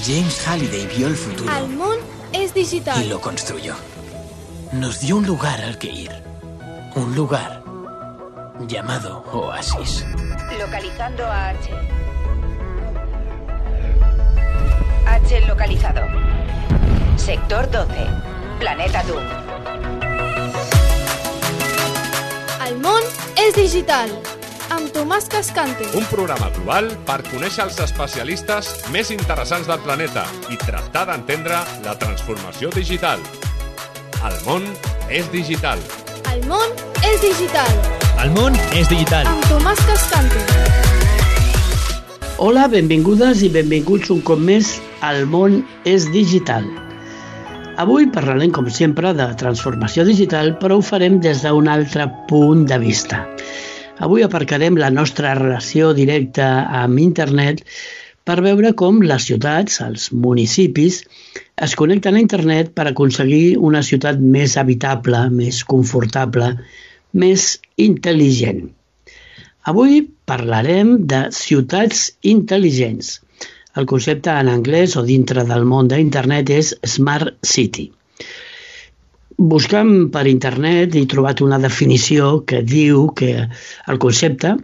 James Halliday vio el futuro. El món es digital. Y lo construyó. Nos dio un lugar al que ir. Un lugar llamado Oasis. Localizando a H. H localizado. Sector 12. Planeta Doom. El món és digital. Amb Tomàs Cascante. Un programa global per conèixer els especialistes més interessants del planeta i tractar d'entendre la transformació digital. El món és digital. El món és digital. El món és digital. Amb Tomàs Cascante. Hola, benvingudes i benvinguts un cop més al món és digital. Avui parlarem, com sempre, de transformació digital, però ho farem des d'un altre punt de vista. Avui aparcarem la nostra relació directa amb internet per veure com les ciutats, els municipis, es connecten a internet per aconseguir una ciutat més habitable, més confortable, més intel·ligent. Avui parlarem de ciutats intel·ligents. El concepte en anglès o dintre del món d'internet és Smart City. Buscant per internet he trobat una definició que diu que el concepte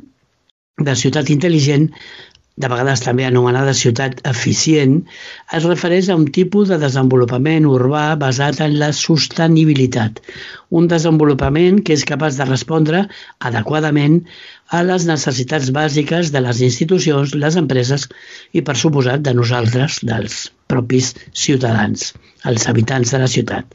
de ciutat intel·ligent, de vegades també anomenada ciutat eficient, es refereix a un tipus de desenvolupament urbà basat en la sostenibilitat. Un desenvolupament que és capaç de respondre adequadament a les necessitats bàsiques de les institucions, les empreses i, per suposat, de nosaltres, dels propis ciutadans, els habitants de la ciutat.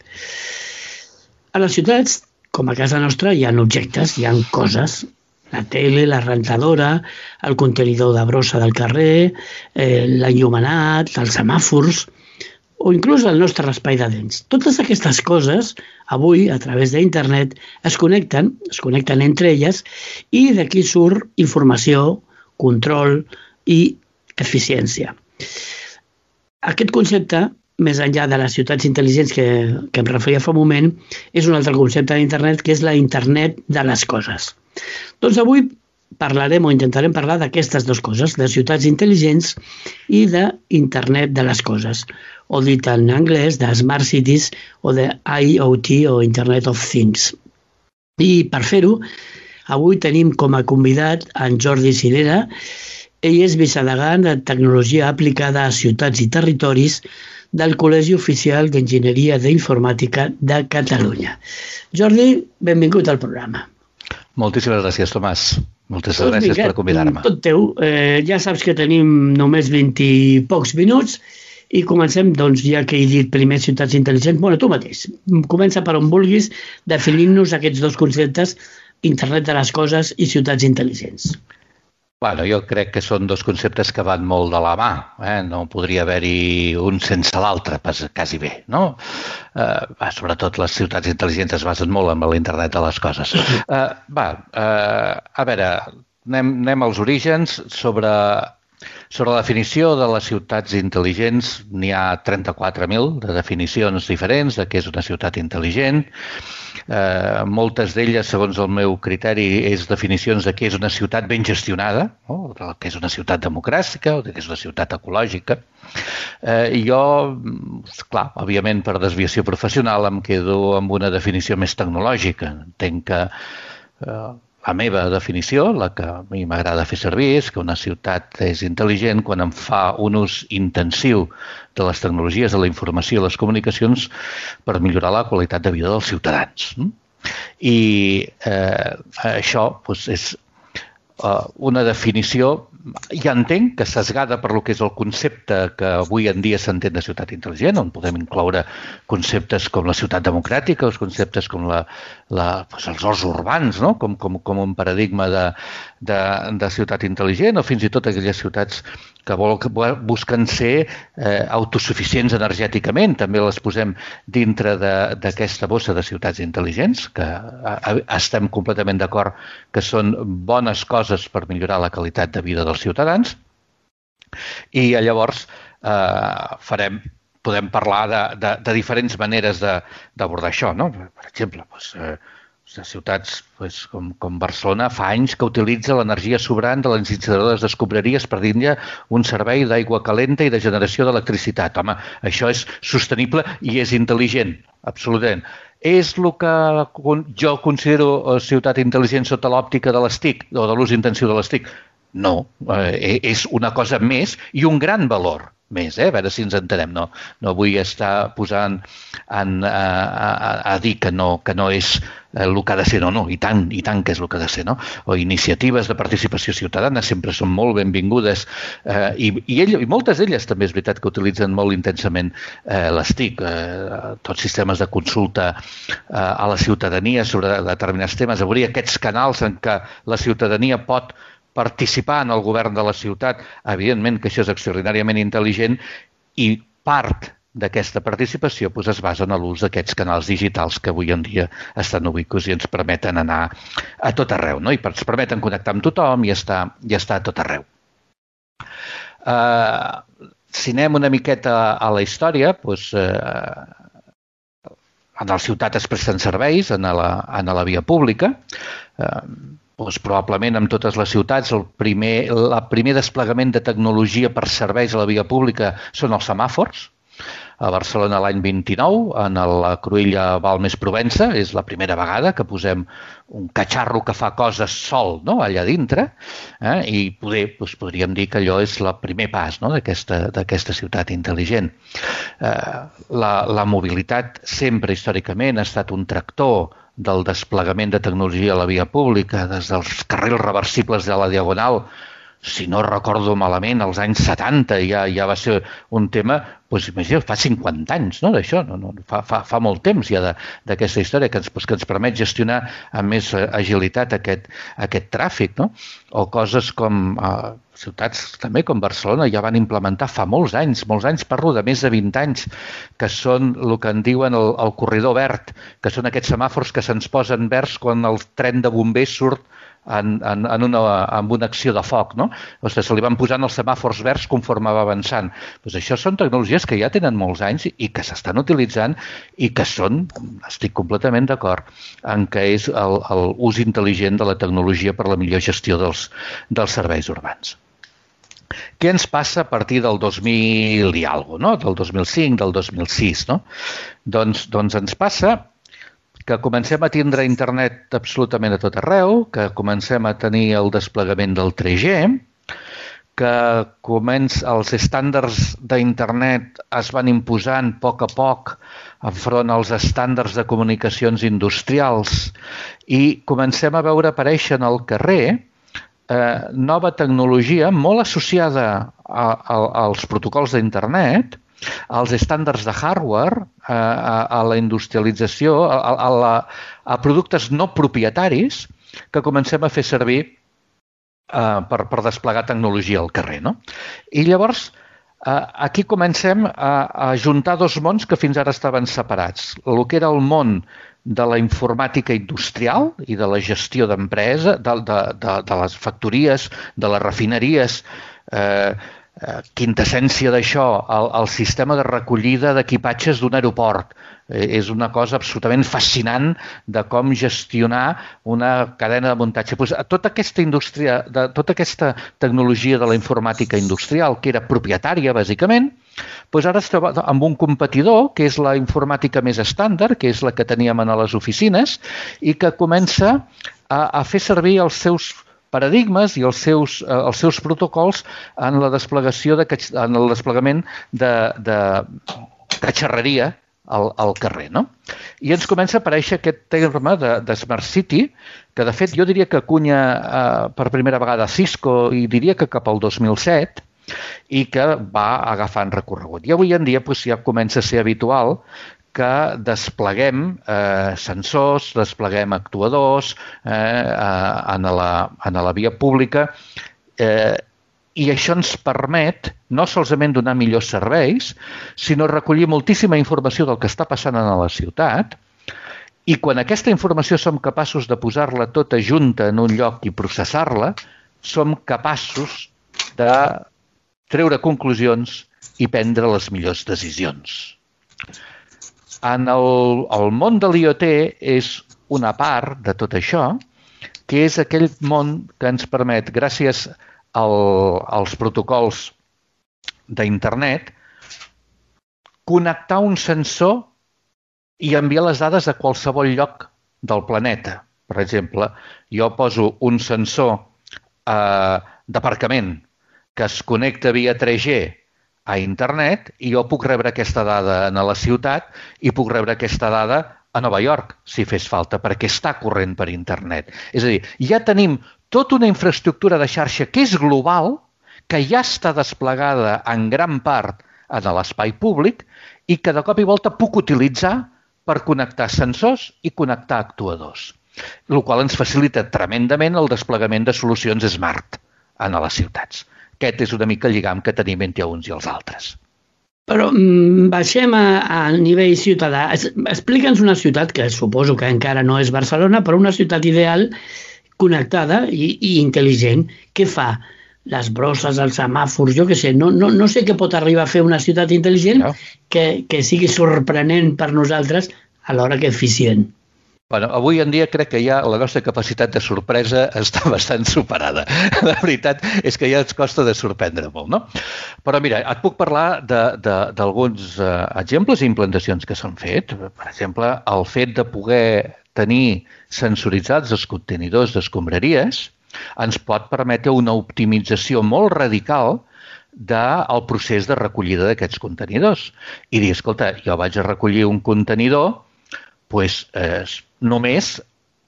A les ciutats, com a casa nostra, hi ha objectes, hi ha coses, la tele, la rentadora, el contenidor de brossa del carrer, l'enllumenat, els semàfors o inclús el nostre espai de dents. Totes aquestes coses, avui, a través d'internet, es connecten entre elles i d'aquí surt informació, control i eficiència. Aquest concepte, més enllà de les ciutats intel·ligents que em referia fa un moment, és un altre concepte d'internet que és la internet de les coses. Doncs avui parlarem o intentarem parlar d'aquestes dues coses, de ciutats intel·ligents i d'internet de les coses, o dit en anglès de Smart Cities o de IoT o Internet of Things. I per fer-ho, avui tenim com a convidat en Jordi Cirera. Ell és vicedegant de Tecnologia Aplicada a Ciutats i Territoris del Col·legi Oficial d'Enginyeria d'Informàtica de Catalunya. Jordi, benvingut al programa. Moltíssimes gràcies, Tomàs. Moltes gràcies per convidar-me. Tot teu. Ja saps que tenim només 20 i pocs minuts i comencem, doncs, ja que he dit primer ciutats intel·ligents, bueno, tu mateix. Comença per on vulguis definint-nos aquests dos conceptes, internet de les coses i ciutats intel·ligents. Bueno, jo crec que són dos conceptes que van molt de la mà. No podria haver-hi un sense l'altre, quasi bé, no? Sobretot les ciutats intel·ligents es basen molt en l'internet de les coses. A veure, anem als orígens. Sobre la definició de les ciutats intel·ligents, n'hi ha 34.000 de definicions diferents de què és una ciutat intel·ligent. Moltes d'elles, segons el meu criteri, és definicions de què és una ciutat ben gestionada, de què és una ciutat democràtica o de què és una ciutat ecològica. Jo, clar, òbviament per desviació professional em quedo amb una definició més tecnològica. Entenc que la meva definició, la que a mi m'agrada fer servir, és que una ciutat és intel·ligent quan en fa un ús intensiu de les tecnologies, de la informació i les comunicacions per millorar la qualitat de vida dels ciutadans. I això és una definició, ja entenc que sesgada per lo que és el concepte que avui en dia s'entén de ciutat intel·ligent, on podem incloure conceptes com la ciutat democràtica, els conceptes com els horts urbans, no? com un paradigma de ciutat intel·ligent, o fins i tot aquelles ciutats que busquen ser autosuficients energèticament. També les posem dintre d'aquesta bossa de ciutats intel·ligents, que estem completament d'acord que són bones coses per millorar la qualitat de vida dels ciutadans. I llavors podem parlar de diferents maneres d'abordar això, no? Per exemple, ciutats com Barcelona fa anys que utilitza l'energia sobrant de les incineradores d'escombraries per dir-ne un servei d'aigua calenta i de generació d'electricitat. Home, això és sostenible i és intel·ligent, absolutament. És el que jo considero ciutat intel·ligent sota l'òptica de les TIC o de l'ús intensiu de les TIC? No, és una cosa més i un gran valor més, a veure si ens entenem. No vull estar posant a dir que no és el que ha de ser, no, i tant que és el que ha de ser, no? O iniciatives de participació ciutadana sempre són molt benvingudes i moltes d'elles també és veritat que utilitzen molt intensament les TIC, tots sistemes de consulta a la ciutadania sobre determinats temes, obrir aquests canals en què la ciutadania pot participar en el govern de la ciutat, evidentment que això és extraordinàriament intel·ligent i part d'aquesta participació es basa en l'ús d'aquests canals digitals que avui en dia estan ubicats i ens permeten anar a tot arreu, no? I ens permeten connectar amb tothom i estar a tot arreu. Si anem una miqueta a la història, en la ciutat es presten serveis, en la via pública, probablement en totes les ciutats el primer desplegament de tecnologia per serveis a la via pública són els semàfors. A Barcelona l'any 29, en la Cruïlla Balmes-Provença, és la primera vegada que posem un catxarro que fa coses sol, no?, allà dintre, i podríem dir que allò és el primer pas, no?, d'aquesta ciutat intel·ligent. La mobilitat sempre històricament ha estat un tractor del desplegament de tecnologia a la via pública, des dels carrils reversibles de la Diagonal, si no recordo malament, als anys 70 ja va ser un tema, imagina't, fa 50 anys, no?, d'això, fa molt temps ja d'aquesta història que ens permet gestionar amb més agilitat aquest tràfic, no? O coses com ciutats també com Barcelona ja van implementar fa molts anys, parlo de més de 20 anys, que són el que en diuen el corredor verd, que són aquests semàfors que se'ns posen verds quan el tren de bombers surt en una acció de foc, no? O sigui, se li van posant els semàfors verds conforme va avançant. Això són tecnologies que ja tenen molts anys i que s'estan utilitzant i que estic completament d'acord, en què és l'ús intel·ligent de la tecnologia per la millor gestió dels serveis urbans. Què ens passa a partir del 2000 i alguna cosa, no? Del 2005, del 2006, no? Doncs ens passa que comencem a tindre internet absolutament a tot arreu, que comencem a tenir el desplegament del 3G, que els estàndards d'internet es van imposant a poc enfront als estàndards de comunicacions industrials i comencem a veure aparèixer al carrer nova tecnologia molt associada als protocols d'internet, als estàndards de hardware, a la industrialització, a productes no propietaris que comencem a fer servir per desplegar tecnologia al carrer, no? I llavors aquí comencem a juntar dos mons que fins ara estaven separats. El que era el món de la informàtica industrial i de la gestió d'empresa, de les factories, de les refineries, quintessència d'això, el sistema de recollida d'equipatges d'un aeroport. És una cosa absolutament fascinant de com gestionar una cadena de muntatge. Tota aquesta indústria, tota aquesta tecnologia de la informàtica industrial, que era propietària, bàsicament, ara es troba amb un competidor, que és la informàtica més estàndard, que és la que teníem a les oficines, i que comença a fer servir els seus paradigmes i els seus protocols en el desplegament de catxarreria al carrer, no? I ens comença a aparèixer aquest terme de Smart City, que de fet jo diria que acunya per primera vegada Cisco i diria que cap al 2007 i que va agafant recorregut. I avui en dia ja comença a ser habitual que despleguem sensors, despleguem actuadors en la via pública i això ens permet no solament donar millors serveis, sinó recollir moltíssima informació del que està passant a la ciutat i quan aquesta informació som capaços de posar-la tota junta en un lloc i processar-la, som capaços de treure conclusions i prendre les millors decisions. En el món de l'IoT és una part de tot això, que és aquell món que ens permet, gràcies als protocols d'internet, connectar un sensor i enviar les dades a qualsevol lloc del planeta. Per exemple, jo poso un sensor d'aparcament que es connecta via 3G a internet i jo puc rebre aquesta dada a la ciutat i puc rebre aquesta dada a Nova York, si fes falta, perquè està corrent per internet. És a dir, ja tenim tota una infraestructura de xarxa que és global, que ja està desplegada en gran part en l'espai públic i que de cop i volta puc utilitzar per connectar sensors i connectar actuadors, el qual ens facilita tremendament el desplegament de solucions smart en les ciutats. Aquest és una mica el lligam que tenim entre uns i els altres. Però baixem a nivell ciutadà. Explica'ns una ciutat, que suposo que encara no és Barcelona, però una ciutat ideal, connectada i intel·ligent. Què fa? Les brosses, els semàfors, jo què sé, no sé què pot arribar a fer una ciutat intel·ligent que sigui sorprenent per nosaltres alhora que eficient. Bueno, avui en dia crec que ja la nostra capacitat de sorpresa està bastant superada. La veritat és que ja ens costa de sorprendre molt, no? Però mira, et puc parlar d'alguns exemples i implantacions que s'han fet. Per exemple, el fet de poder tenir sensoritzats els contenidors d'escombraries ens pot permetre una optimització molt radical del procés de recollida d'aquests contenidors. I dir, escolta, jo vaig a recollir un contenidor només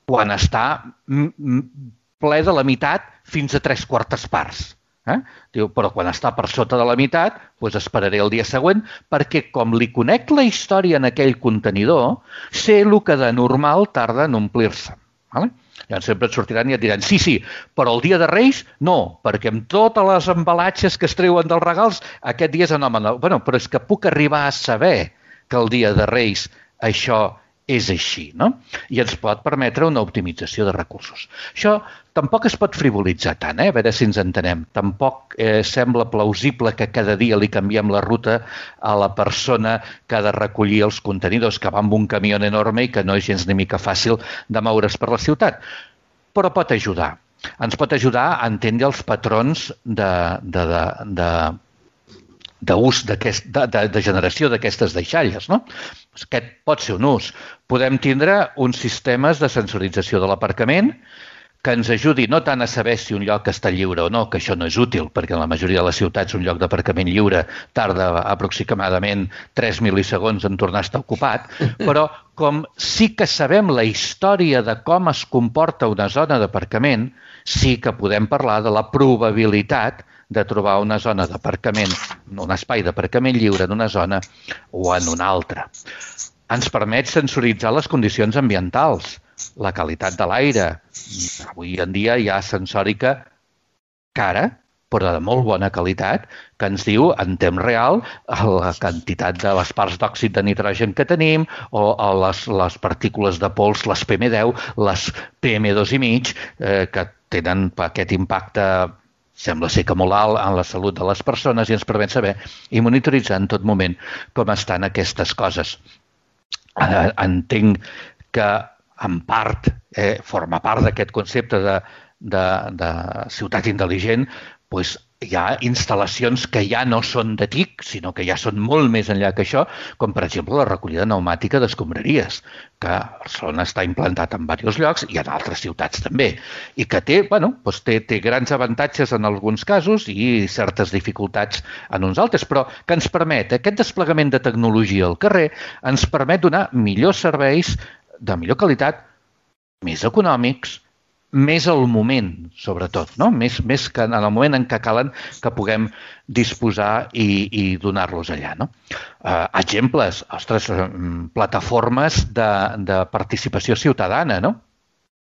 quan està ple de la meitat fins a 3/4 parts. Diu, però quan està per sota de la meitat, esperaré el dia següent, perquè com li conec la història en aquell contenidor, sé el que de normal tarda en omplir-se. Llavors sempre et sortiran i et diran, sí, però el dia de Reis no, perquè amb totes les embalatges que es treuen dels regals, aquest dia és anòmal. Bueno, però és que puc arribar a saber que el dia de Reis això és així, no? I ens pot permetre una optimització de recursos. Això tampoc es pot frivolitzar tant, a veure si ens entenem. Tampoc sembla plausible que cada dia li canviem la ruta a la persona que ha de recollir els contenidors, que va amb un camió enorme i que no és gens ni mica fàcil de moure's per la ciutat. Però pot ajudar. Ens pot ajudar a entendre els patrons d'ús, de generació d'aquestes deixalles, no? Aquest pot ser un ús. Podem tindre uns sistemes de sensorització de l'aparcament que ens ajudi no tant a saber si un lloc està lliure o no, que això no és útil, perquè en la majoria de les ciutats un lloc d'aparcament lliure tarda aproximadament 3 mil·lisegons en tornar a estar ocupat, però com sí que sabem la història de com es comporta una zona d'aparcament, sí que podem parlar de la probabilitat de trobar una zona d'aparcament, un espai d'aparcament lliure en una zona o en una altra. Ens permet sensoritzar les condicions ambientals, la qualitat de l'aire. Avui en dia hi ha sensòrica cara, però de molt bona qualitat, que ens diu en temps real la quantitat de les parts d'òxid de nitrogen que tenim o les partícules de pols, les PM10, les PM2,5, que tenen aquest impacte sembla ser que molt alt en la salut de les persones i ens permet saber i monitoritzar en tot moment com estan aquestes coses. Entenc que en part forma part d'aquest concepte de ciutat intel·ligent, hi ha instal·lacions que ja no són de TIC, sinó que ja són molt més enllà que això, com per exemple la recollida pneumàtica d'escombraries, que a Barcelona està implantat en diversos llocs i en altres ciutats també, i que té grans avantatges en alguns casos i certes dificultats en uns altres, però que ens permet, aquest desplegament de tecnologia al carrer, ens permet donar millors serveis de millor qualitat, més econòmics, més al moment, sobretot, no? Més que en el moment en què calen que puguem disposar i donar-los allà, no? Exemples, plataformes de participació ciutadana, no?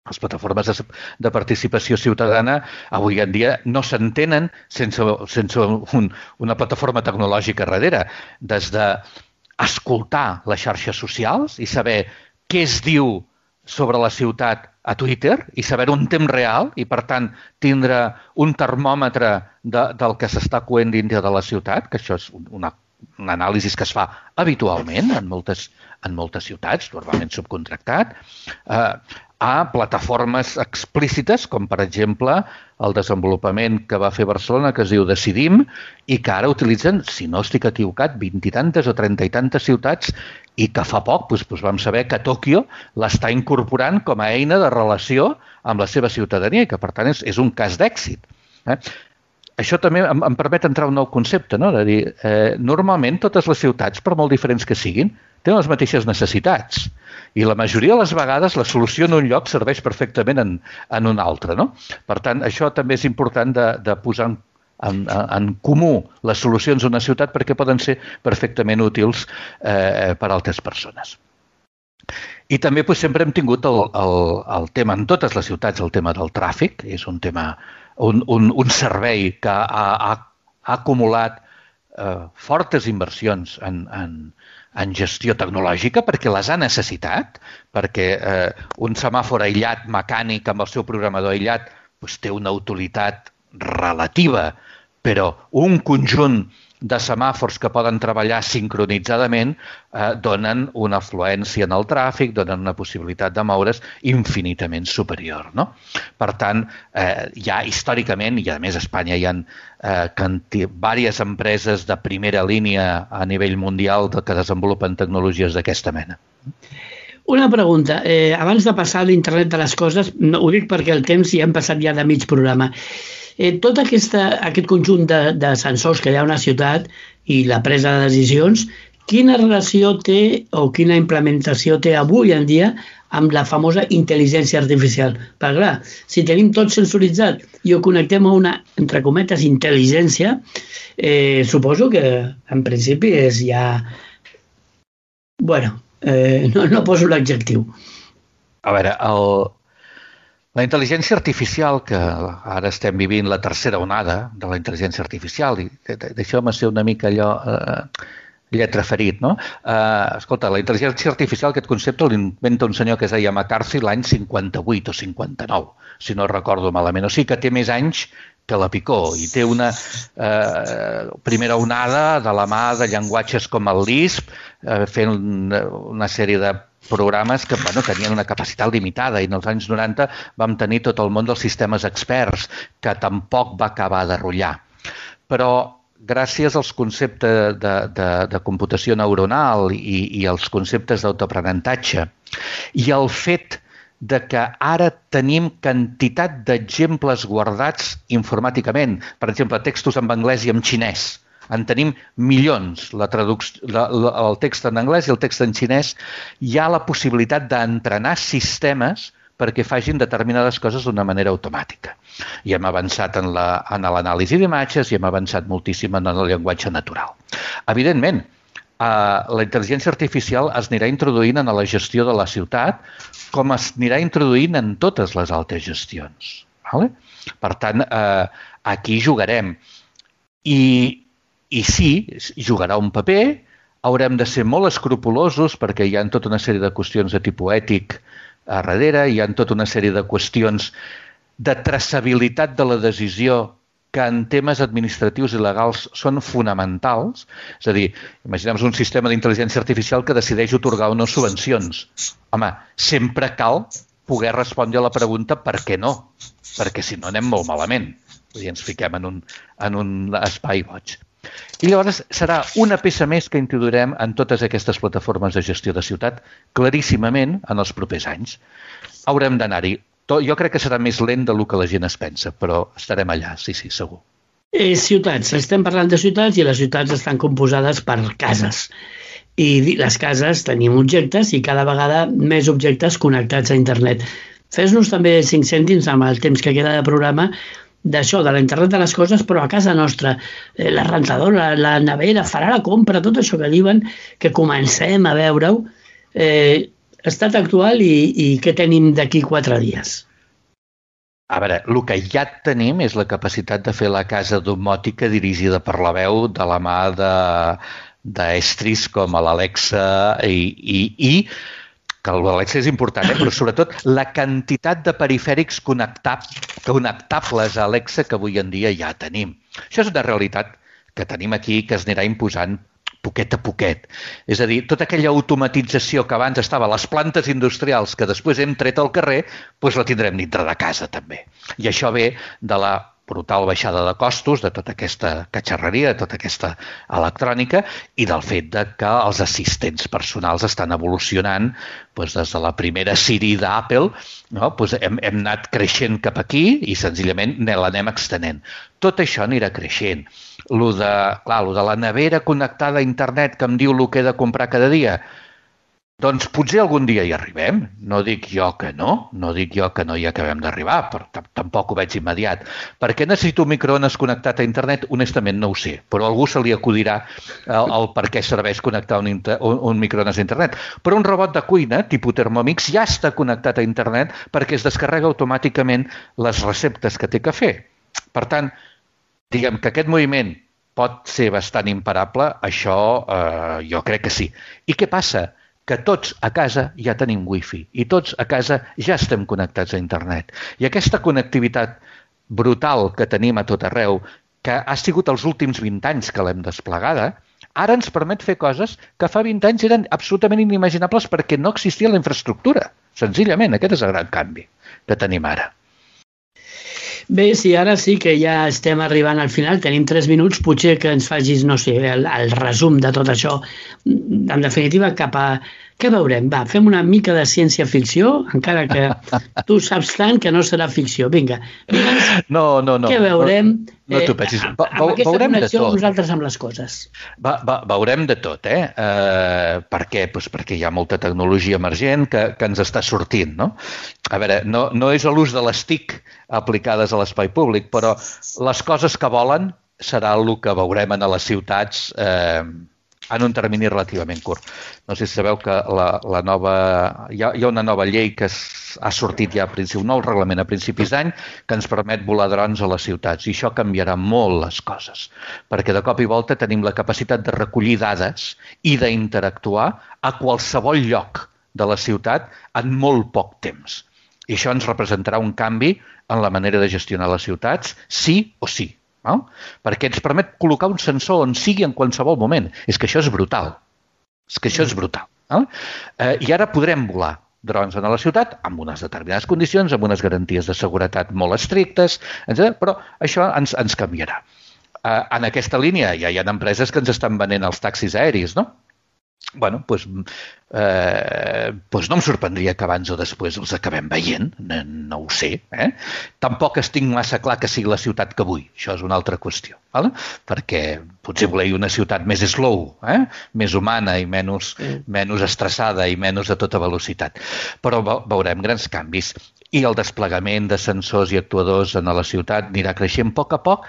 Les plataformes de participació ciutadana avui en dia no s'entenen sense una plataforma tecnològica darrere, des d'escoltar les xarxes socials i saber què es diu sobre la ciutat a Twitter i saber-ho en temps real i, per tant, tindre un termòmetre del que s'està coent dintre de la ciutat, que això és una una anàlisi que es fa habitualment en moltes ciutats, normalment subcontractat, a plataformes explícites, com per exemple el desenvolupament que va fer Barcelona, que es diu Decidim, i que ara utilitzen, si no estic equivocat, 20 i tantes o 30 i tantes ciutats, i que fa poc vam saber que Tòquio l'està incorporant com a eina de relació amb la seva ciutadania, i que per tant és un cas d'èxit. Això també em permet entrar a un nou concepte, no? De dir, normalment totes les ciutats, per molt diferents que siguin, tenen les mateixes necessitats. I la majoria de les vegades la solució en un lloc serveix perfectament en un altre. No? Per tant, això també és important de posar en comú les solucions d'una ciutat perquè poden ser perfectament útils per a altres persones. I també sempre hem tingut el tema en totes les ciutats, el tema del tràfic. És un tema, un servei que ha acumulat fortes inversions en gestió tecnològica perquè les ha necessitat, perquè un semàfor aïllat mecànic amb el seu programador aïllat té una utilitat relativa, però un conjunt de semàfors que poden treballar sincronitzadament donen una afluència en el tràfic, donen una possibilitat de moure's infinitament superior. No? Per tant, ja històricament, i a més a Espanya hi ha diverses empreses de primera línia a nivell mundial que desenvolupen tecnologies d'aquesta mena. Una pregunta. Abans de passar a l'internet de les coses, ho dic perquè el temps ja hem passat ja de mig programa. Tot aquest conjunt de sensors que hi ha a una ciutat i la presa de decisions, quina relació té o quina implementació té avui en dia amb la famosa intel·ligència artificial? Perquè clar, si tenim tot sensoritzat i ho connectem a una, entre cometes, intel·ligència, suposo que en principi és ja... Bueno, no poso l'adjectiu. A veure, la intel·ligència artificial, que ara estem vivint la tercera onada de la intel·ligència artificial, i deixeu-me ser una mica allò lletra ferit, no? Escolta, la intel·ligència artificial, aquest concepte l'inventa un senyor que es deia McCarthy l'any 58 o 59, si no recordo malament. O sigui que té més anys que la Picó i té una primera onada de la mà de llenguatges com el Lisp, fent una sèrie de programes que tenien una capacitat limitada i en els anys 90 vam tenir tot el món dels sistemes experts, que tampoc va acabar de rotllar. Però gràcies als conceptes de computació neuronal i als conceptes d'autoaprenentatge i al fet de que ara tenim quantitat d'exemples guardats informàticament, per exemple, textos en anglès i en xinès. En tenim milions, el text en anglès i el text en xinès. Hi ha la possibilitat d'entrenar sistemes perquè facin determinades coses d'una manera automàtica. I hem avançat en l'anàlisi d'imatges i hem avançat moltíssim en el llenguatge natural. Evidentment, la intel·ligència artificial es anirà introduint en la gestió de la ciutat com es anirà introduint en totes les altres gestions. Per tant, aquí jugarem. I sí, jugarà un paper, haurem de ser molt escrupulosos perquè hi ha tota una sèrie de qüestions de tipus ètic a darrere, hi ha tota una sèrie de qüestions de traçabilitat de la decisió que en temes administratius i legals són fonamentals. És a dir, imaginem un sistema d'intel·ligència artificial que decideix atorgar o no subvencions. Home, sempre cal poder respondre a la pregunta per què no, perquè si no anem molt malament i ens fiquem en un espai boig. I llavors serà una peça més que introduirem en totes aquestes plataformes de gestió de ciutat claríssimament en els propers anys. Haurem d'anar-hi. Jo crec que serà més lent del que la gent es pensa, però estarem allà, sí, segur. Ciutats. Estem parlant de ciutats i les ciutats estan composades per cases. I les cases tenim objectes i cada vegada més objectes connectats a internet. Fes-nos també 5 cèntims amb el temps que queda de programa d'això, de l'internet de les coses, però a casa nostra, la rentadora, la nevera, farà la compra, tot això que diuen, que comencem a veure-ho, estat actual i què tenim d'aquí 4 dies? A veure, el que ja tenim és la capacitat de fer la casa domòtica dirigida per la veu de la mà d'estris com l'Alexa i que l'Alexa és important, però sobretot la quantitat de perifèrics connectables a Alexa que avui en dia ja tenim. Això és una realitat que tenim aquí que es anirà imposant poquet a poquet. És a dir, tota aquella automatització que abans estava a les plantes industrials que després hem tret al carrer, doncs la tindrem dintre de casa també. I això ve de la brutal baixada de costos de tota aquesta catxarreria, de tota aquesta electrònica i del fet de que els assistents personals estan evolucionant des de la primera Siri d'Apple, no? Hem anat creixent cap aquí i senzillament l'anem extenent. Tot això anirà creixent. Lo de la nevera connectada a internet que em diu el que he de comprar cada dia, doncs potser algun dia hi arribem. No dic jo que no hi acabem d'arribar, però tampoc ho veig immediat. Per què necessito un microones connectat a internet? Honestament no ho sé, però a algú se li acudirà el per què serveix connectar un microones a internet. Però un robot de cuina, tipus Thermomix, ja està connectat a internet perquè es descarrega automàticament les receptes que té que fer. Per tant, diguem que aquest moviment pot ser bastant imparable, això jo crec que sí. I què passa? Que tots a casa ja tenim wifi i tots a casa ja estem connectats a internet. I aquesta connectivitat brutal que tenim a tot arreu, que ha sigut els últims 20 anys que l'hem desplegada, ara ens permet fer coses que fa 20 anys eren absolutament inimaginables perquè no existia la infraestructura. Senzillament, aquest és el gran canvi que tenim ara. Bé, sí, ara sí que ja estem arribant al final, tenim 3 minuts, potser que ens facis, no sé, el resum de tot això. En definitiva, cap a... Què veurem? Va, fem una mica de ciència-ficció, encara que tu saps tant que no serà ficció. Vinga, no. Què veurem? No t'ho pensis. Amb aquesta connexió nosaltres amb les coses. Veurem de tot, eh? Per què? Doncs perquè hi ha molta tecnologia emergent que ens està sortint, no? A veure, no és l'ús de les TIC aplicades a l'espai públic, però les coses que volen serà el que veurem a les ciutats en un termini relativament curt. No sé si sabeu que hi ha una nova llei que ha sortit ja un nou reglament a principis d'any que ens permet volar drons a les ciutats i això canviarà molt les coses perquè de cop i volta tenim la capacitat de recollir dades i d'interactuar a qualsevol lloc de la ciutat en molt poc temps. I això ens representarà un canvi en la manera de gestionar les ciutats, sí o sí. No? Perquè ens permet col·locar un sensor on sigui en qualsevol moment. És que això és brutal. No? I ara podrem volar drons a la ciutat amb unes determinades condicions, amb unes garanties de seguretat molt estrictes, etc. Però això ens canviarà. En aquesta línia ja hi ha empreses que ens estan venent els taxis aèris, no? Bueno, doncs no em sorprendria que abans o després els acabem veient, no ho sé. Tampoc estic massa clar que sigui la ciutat que vull, això és una altra qüestió, perquè potser voleu una ciutat més slow, més humana i menys estressada i menys a tota velocitat. Però veurem grans canvis i el desplegament de sensors i actuadors en la ciutat anirà creixent a poc,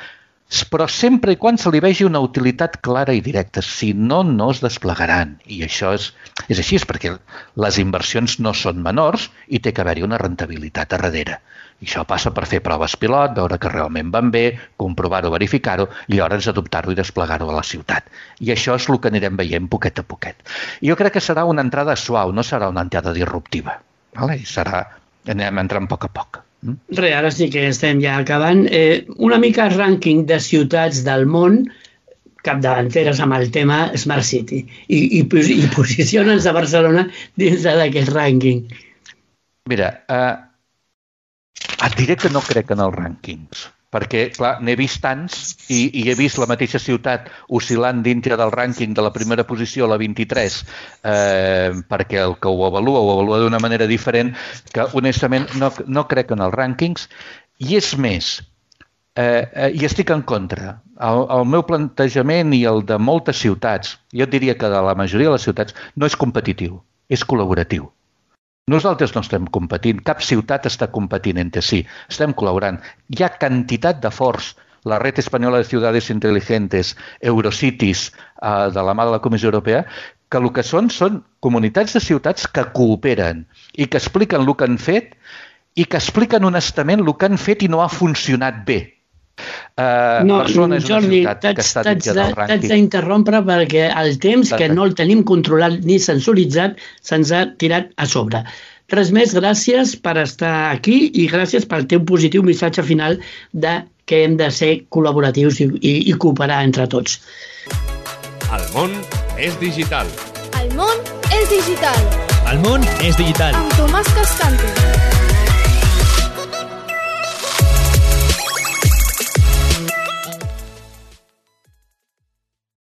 però sempre i quan se li vegi una utilitat clara i directa. Si no, no es desplegaran. I això és així, perquè les inversions no són menors i té que haver-hi una rentabilitat a darrere. I això passa per fer proves pilot, veure que realment van bé, comprovar-ho, verificar-ho, i llavors adoptar-ho i desplegar-ho a la ciutat. I això és el que anirem veient poquet a poquet. I jo crec que serà una entrada suau, no serà una entrada disruptiva. I anem entrant a poc. Res, ara sí que estem ja acabant. Una mica rànquing de ciutats del món capdavanteres amb el tema Smart City i posicionen a Barcelona dins d'aquest rànquing. Mira, et diré que no crec en els rànquings, perquè, clar, n'he vist tants i he vist la mateixa ciutat oscil·lant dintre del rànquing de la primera posició a la 23 perquè el que ho avalua d'una manera diferent, que honestament no crec en els rànquings. I és més, i estic en contra. El meu plantejament i el de moltes ciutats, jo diria que de la majoria de les ciutats, no és competitiu, és col·laboratiu. Nosaltres no estem competint, cap ciutat està competint entre si, estem col·laborant. Hi ha quantitat de forts, la Red Española de Ciudades Inteligentes, Eurocities, de la mà de la Comissió Europea, que el que són comunitats de ciutats que cooperen i que expliquen el que han fet i que expliquen honestament el que han fet i no ha funcionat bé. Jordi, t'haig d'interrompre perquè el temps que no el tenim controlat ni sensoritzat se'ns ha tirat a sobre. Res més, gràcies per estar aquí i gràcies pel teu positiu missatge final de que hem de ser col·laboratius i cooperar entre tots. El món és digital. El món és digital. El món és digital. Amb Tomàs Cascante.